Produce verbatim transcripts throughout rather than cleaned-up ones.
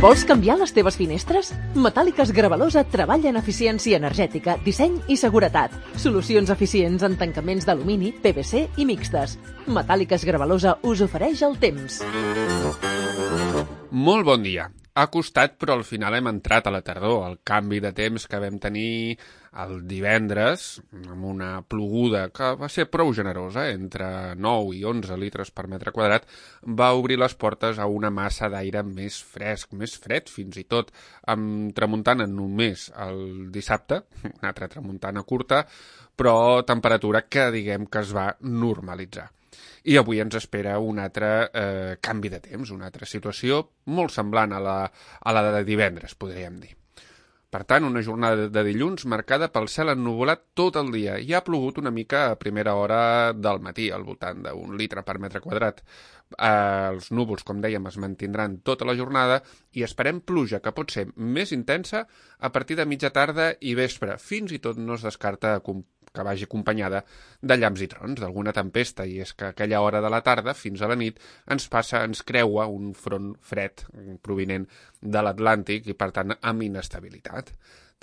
Vols canviar les teves finestres? Metàl·liques Gravalosa treballa en eficiència energètica, disseny i seguretat. Solucions eficients en tancaments d'alumini, P V C i mixtes. Metàl·liques Gravalosa us ofereix el temps. Molt bon dia. Ha costat, però al final hem entrat a la tardor. El canvi de temps que vam tenir el divendres, amb una ploguda que va ser prou generosa, entre nou i onze litres per metre quadrat, va obrir les portes a una massa d'aire més fresc, més fred, fins i tot amb tramuntana només el dissabte, una altra tramuntana curta, però temperatura que diguem que es va normalitzar. I avui ens espera un altre eh, canvi de temps, una altra situació molt semblant a la, a la de divendres, podríem dir. Per tant, una jornada de dilluns marcada pel cel ennuvolat tot el dia i ha plogut una mica a primera hora del matí, al voltant d'un litre per metre quadrat. Eh, els núvols, com dèiem, es mantindran tota la jornada i esperem pluja que pot ser més intensa a partir de mitja tarda i vespre. Fins i tot no es descarta que vagi acompanyada de llamps i trons, d'alguna tempesta, i és que a aquella hora de la tarda, fins a la nit, ens passa, ens creua un front fred provinent de l'Atlàntic i, per tant, amb inestabilitat.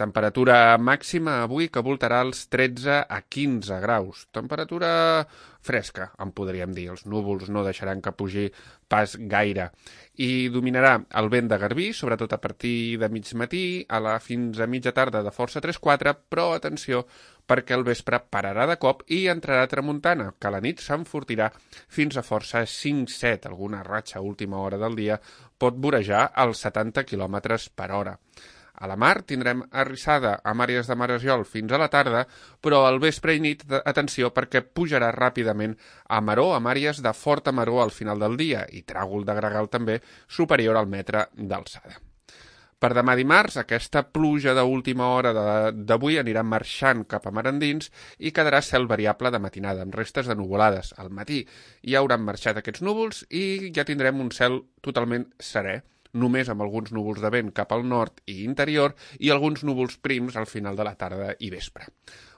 Temperatura màxima avui que voltarà els tretze a quinze graus. Temperatura fresca, en podríem dir. Els núvols no deixaran que pugi pas gaire. I dominarà el vent de garbí, sobretot a partir de mig matí, a la fins a mitja tarda de força tres quatre, però atenció, perquè el vespre pararà de cop i entrarà tramuntana, que a la nit s'enfortirà fins a força cinc set. Alguna ratxa a última hora del dia pot vorejar als setanta quilòmetres per hora. A la mar tindrem arrissada a Màries de Maresiol fins a la tarda, però al vespre i nit, atenció, perquè pujarà ràpidament a Maró, a Màries de Forta Maró al final del dia, i Tràgol de Gregal també superior al metre d'alçada. Per demà dimarts, aquesta pluja d'última hora d'avui anirà marxant cap a mar endins i quedarà cel variable de matinada, amb restes de nuvolades. Al matí ja hauran marxat aquests núvols i ja tindrem un cel totalment serè, només amb alguns núvols de vent cap al nord i interior i alguns núvols prims al final de la tarda i vespre.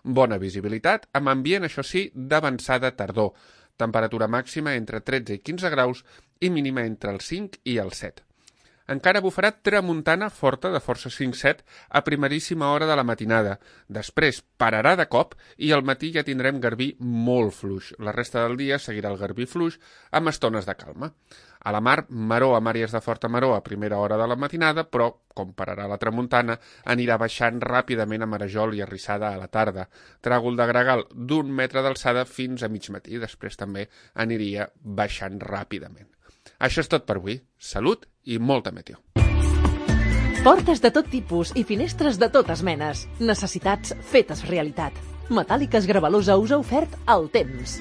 Bona visibilitat, amb ambient, això sí, d'avançada tardor. Temperatura màxima entre tretze i quinze graus i mínima entre els cinc i els set. Encara bufarà tramuntana forta de força cinc set a primeríssima hora de la matinada. Després pararà de cop i al matí ja tindrem garbí molt fluix. La resta del dia seguirà el garbí fluix amb estones de calma. A la mar, Maró a Màries de Forta Maró a primera hora de la matinada, però, com pararà la tramuntana, anirà baixant ràpidament a Marajol i Arrissada a la tarda. Tràgol de Gregal d'un metre d'alçada fins a mig matí. Després també aniria baixant ràpidament. Això és tot per avui. Salut i molta meteo. Portes de tot tipus i finestres de totes menes. Necessitats fetes realitat. Metàl·liques Gravalosa us ha ofert el temps.